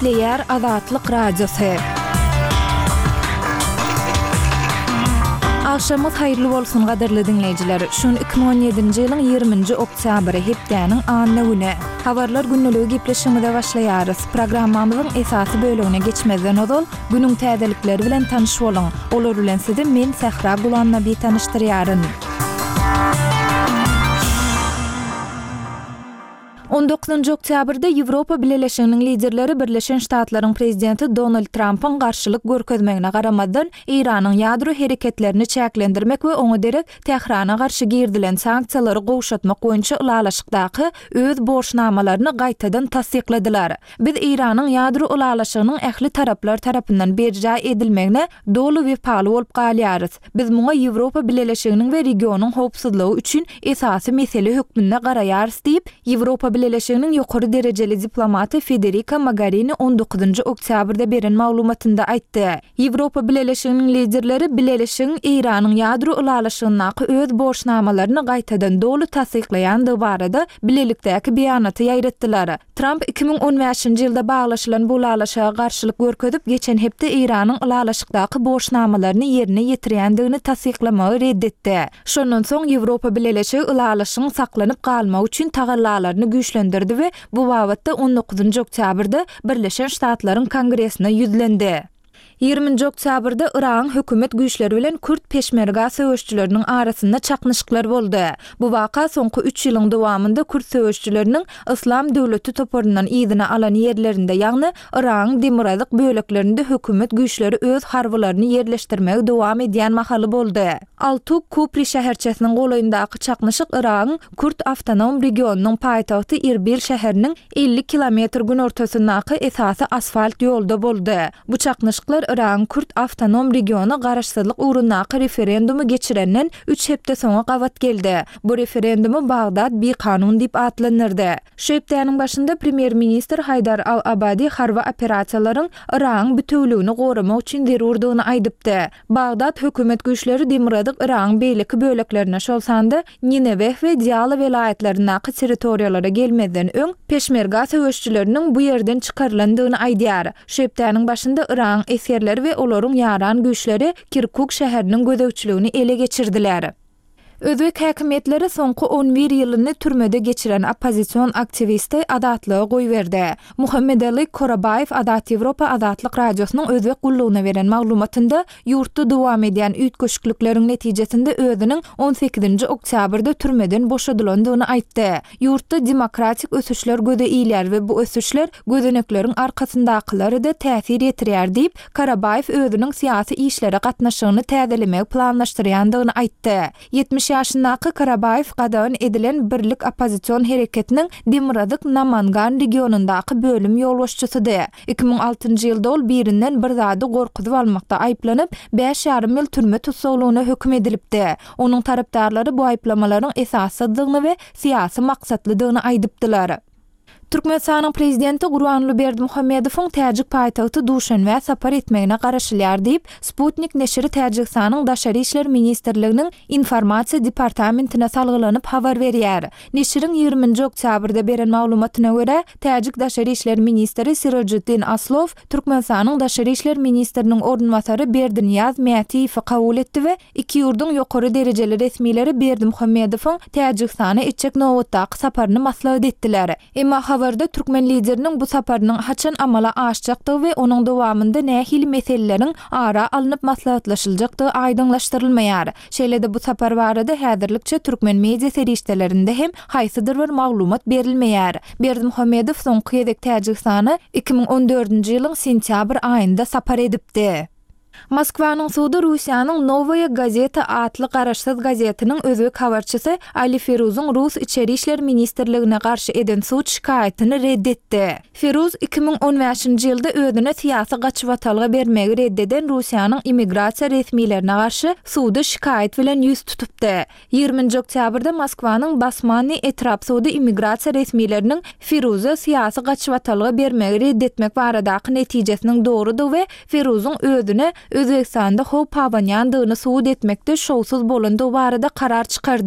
Gepleýär Azatlyk Radiosy. Agşamyňyz haýyrly bolsun gadyrly diňleýjiler! Şu gün 2017-nji ýylyň 20-nji oktýabry, hepdäniň anna güni. Habarlar gündeligi gepleşigimize başlaýarys. Programmamyzyň esasy bölegine geçmezden ozal, günüň täzelikleri bilen tanyş boluň. Olar bilen sizi men Sähra Gulamnabi tanyşdyrýaryn. On dokuzynjy oktýabrda Ýewropa Bileleşiginiň liderleri Birleşen Ştatlaryň prezidenti Donald Trampyň garşylyk görkezmegine garamazdan, Eýranyň ýadro hereketlerini çäklendirmek we oňa derek Tährana garşy girizilen sanksiýalary gowşatmak boýunça ylalaşykdaky öz borçnamalaryny gaýtadan tassykladylar. Biz Eýranyň ýadro ylalaşygynyň ähli taraplar tarapyndan berjaý edilmegine doly wepaly bolup galýarys. Biz muňa Ýewropa Bileleşiginiň we regionyň howpsuzlygy üçin esasy mesele hökmünde garaýarys diýip, Ýewropa Bileleşiginiň ýokary derejeli diplomaty Federika Mogarini on dokuzynjy oktýabrda beren maglumatynda aýtdy. Ýewropa Bileleşiginiň liderleri Bileleşigiň Eýranyň ýadro ylalaşygyndaky öz borçnamalaryny gaýtadan doly tassyklaýandygy barada bilelikdäki beýanaty ýaýratdylar. Tramp 2015-nji ýylda baglaşylan bu ylalaşyga garşylyk görkezip, geçen hepde Eýranyň ylalaşykdaky borçnamalaryny ýerine ýetirýändigini tassyklamagy red etdi. Şondan soň Ýewropa Bileleşigi ylalaşygyň saklanyp galmagy üçin tagallalaryny güýçlendirdi we bu babatda on dokuzynjy oktýabrda Birleşen Ştatlaryň Kongresine ýüzlendi. Ýigriminji oktýabrda Yragyň hökümet güýçleri bilen kürt peşmerga söweşçileriniň arasynda çaknyşyklar boldy. Bu waka soňky üç ýylyň dowamynda kürt söweşçileriniň Yslam döwleti toparyndan yzyna alan ýerlerinde, ýagny Yragyň demirgazyk böleklerinde hökümet güýçleri öz harbylaryny ýerleşdirmegi dowam edýän mahaly boldy. Altuk Kupri şäherçesiniň golaýyndaky çaknyşyk Yragyň Kürt awtonom regionynyň paýtagty Irbil şäheriniň 50 kilometr günortasyndaky esasy asfalt ýolda boldy. Bu çaknyşyklar Yragyň Kürt awtonom regiony garaşsyzlyk ugrundaky referendumy geçirenden üç hepde soňa gabat geldi. Bu referendumy Bagdat bikanun diýip atlandyrdy. Şu hepdäniň başynda premýer-ministr Haýdar al-Abadi harby operasiýalaryň Yragyň bitewüligini goramak üçin zerurdygyny aýdypdy. Bagdat hökümet güýçleri demirgazyk Yragyň beýleki böleklerine, şol sanda Nineweh we Diala welaýatlaryndaky territoriýalara gelmezden öň, peşmerga söweşçileriniň bu ýerden çykarylandygyny aýdýar. Şu hepdäniň başynda Yragyň esgerleri we olaryň ýaran güýçleri Kirkuk şäheriniň gözegçiligini ele geçirdiler. Özbek häkimiýetleri soňky on bir ýylyny türmede geçiren oppozision aktiwisti azatlyga goýberdi. Muhammedali Korabaýew Azat Ýewropa Azatlyk Radiosynyň Özbek gullugyna beren maglumatynda ýurtda dowam edýän üýtgeşiklikleriň netijesinde özüniň on sekizinji oktýabrda türmeden boşadylandygyny aýtdy. Ýurtda demokratik ösüşler göze ilýär we bu ösüşler gözenekleriň arkasyndakylara-da täsir ýetirýär diýip, Karabaýew özüniň syýasy işlere gatnaşygyny täzelemegi planlaşdyrýandygyny aýtdy. 70 ýaşyndaky Karabaýew gadagan edilen Birlik oppozision hereketiniň Demirgazyk Namangan regionyndaky bölüm ýolbaşçysydy. 2006-njy ýylda ol birinden bir zady gorkuzyp almakda aýyplanyp, bäş ýarym ýyl türme tussaglygyna höküm edilipdi. Onuň tarapdarlary bu aýyplamalaryň esassyzdygyny we syýasy maksatlydygyny aýdypdylar. Türkmenistanyň Prezidenti Gurbanguly Berdimuhamedowyň täjik paýtagty Duşenbä sapar etmegine garaşylýar diýip, Sputnik neşiri Täjigistanyň Daşary işler ministrliginiň Informasiýa departamentine salgylanyp habar berýär. Neşiriň ýigriminji oktýabrda beren maglumatyna görä, täjik daşary işler ministri Sirojiddin Aslow Türkmenistanyň daşary işler ministriniň orunbasary Berdinyýaz Mätiýewi kabul etdi we iki ýurduň ýokary derejeli resmileri Berdimuhamedowyň Täjigistana etjek nobatdaky saparyny maslahat etdiler. Emma habarda türkmen Lideriniň bu saparynyň haçan amala aşjakdygy we onuň dowamynda nähili meseleleriň ara alnyp maslahatlaşyljakdygy aýdyňlaşdyrylmaýar. Şeýle-de bu sapar barada häzirlikçe türkmen media serişdelerinde hem haýsydyr bir maglumat berilmeýär. Berdimuhamedow soňky gezek Täjigistana 2014-nji ýylyň sentýabr aýynda sapar edipdi. Moskwanyň sudy Russiýanyň Nowaýa gazeta atly garaşsyz gazetiniň özbek habarçysy Ali Feruzyň rus Içeri işler ministrligine garşy eden sud şikaýatyny red etdi. Feruz 2015-nji ýylda özüne syýasy gaçybatalga bermegi red eden Russiýanyň immigrasiýa resmilerine garşy suda şikaýat bilen ýüz tutupdy. Ýigriminji oktýabrda Moskwanyň Basmannyý etrap sudy immigrasiýa resmileriniň Firuza syýasy gaçybatalga bermegi red etmek baradaky netijesiniň dogrudygy we Firuzyň özüne Özbegistanda howp abanýandygyny subut etmekde şowsuz bolandygy barada karar çykardy.